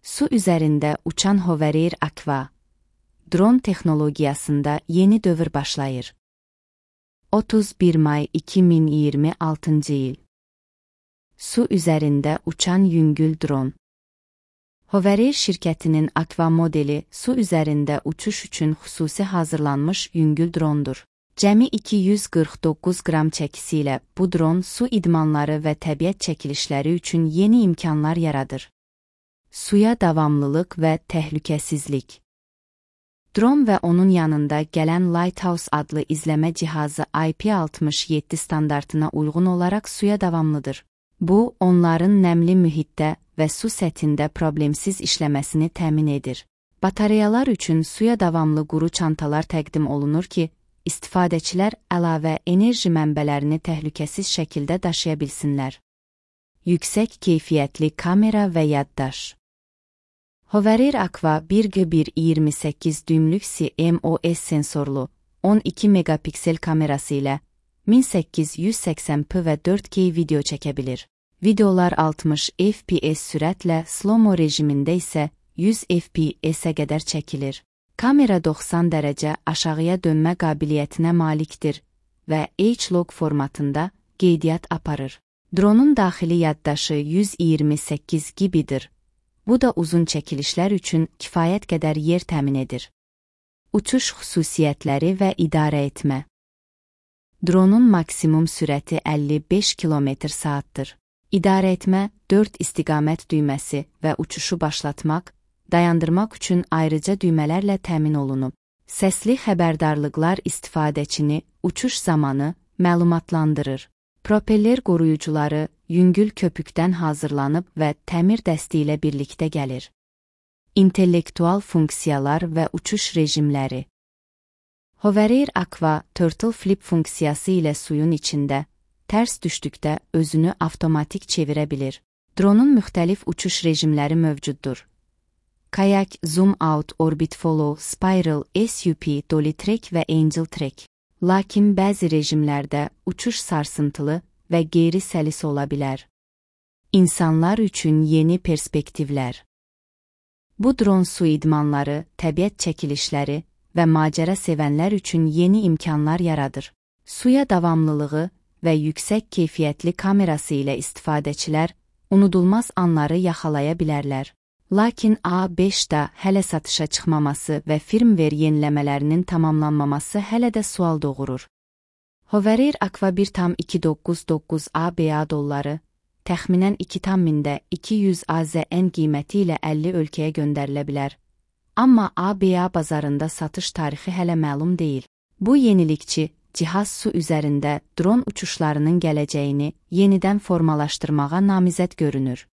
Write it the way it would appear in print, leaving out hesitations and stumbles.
Su üzərində uçan Hover Aqua. Dron texnologiyasında yeni dövr başlayır. 31 may 2026 il. Su üzərində uçan yüngül dron. Hover şirkətinin Aqua modeli su üzərində uçuş üçün xüsusi hazırlanmış yüngül drondur. Cəmi 249 qram çəkisi ilə bu dron su idmanları və təbiət çəkilişləri üçün yeni imkanlar yaradır. Suya davamlılıq və təhlükəsizlik. Dron və onun yanında gələn Lighthouse adlı izləmə cihazı IP67 standartına uyğun olaraq suya davamlıdır. Bu, onların nəmli mühitdə və su səthində problemsiz işləməsini təmin edir. Batareyalar üçün suya davamlı quru çantalar təqdim olunur ki, istifadəçilər əlavə enerji mənbələrini təhlükəsiz şəkildə daşıya bilsinlər. Yüksək keyfiyyətli kamera və yaddaş. Hover Aqua 1G1 düymlük CMOS sensorlu 12 megapiksel kamerası ilə 1880p və 4K video çəkə bilir. Videolar 60 FPS sürətlə, slow-mo rejimində isə 100 FPS-ə qədər çəkilir. Kamera 90 dərəcə aşağıya dönmə qabiliyyətinə malikdir və H-log formatında qeydiyyat aparır. Dronun daxili yaddaşı 128 GB-dir. Bu da uzun çəkilişlər üçün kifayət qədər yer təmin edir. Uçuş xüsusiyyətləri və idarə etmə. Dronun maksimum sürəti 55 km/saatdır. İdarə etmə 4 istiqamət düyməsi və uçuşu başlatmaq, dayandırmaq üçün ayrıca düymələrlə təmin olunub. Səsli xəbərdarlıqlar istifadəçini uçuş zamanı məlumatlandırır. Propeller qoruyucuları yüngül köpükdən hazırlanıb və təmir dəsti ilə birlikdə gəlir. İntellektual funksiyalar və uçuş rejimləri. Hover Aqua Turtle Flip funksiyası ilə suyun içində, tərs düşdükdə özünü avtomatik çevirə bilir. Dronun müxtəlif uçuş rejimləri mövcuddur. Kayak, Zoom Out, Orbit Follow, Spiral, SUP, Dolly Track və Angel Track. Lakin bəzi rejimlərdə uçuş sarsıntılı və qeyri-səlis ola bilər. İnsanlar üçün yeni perspektivlər. Bu dron su idmanları, təbiət çəkilişləri və macəra sevənlər üçün yeni imkanlar yaradır. Suya davamlılığı və yüksək keyfiyyətli kamerası ilə istifadəçilər unudulmaz anları yaxalaya bilərlər. Lakin A5-də hələ satışa çıxmaması və firmware yeniləmələrinin tamamlanmaması hələ də sual doğurur. Hover Aqua 1,299 ABA dolları, təxminən 2,200 AZN qiyməti ilə 50 ölkəyə göndərilə bilər. Amma ABA bazarında satış tarixi hələ məlum deyil. Bu yenilikçi cihaz su üzərində dron uçuşlarının gələcəyini yenidən formalaşdırmağa namizəd görünür.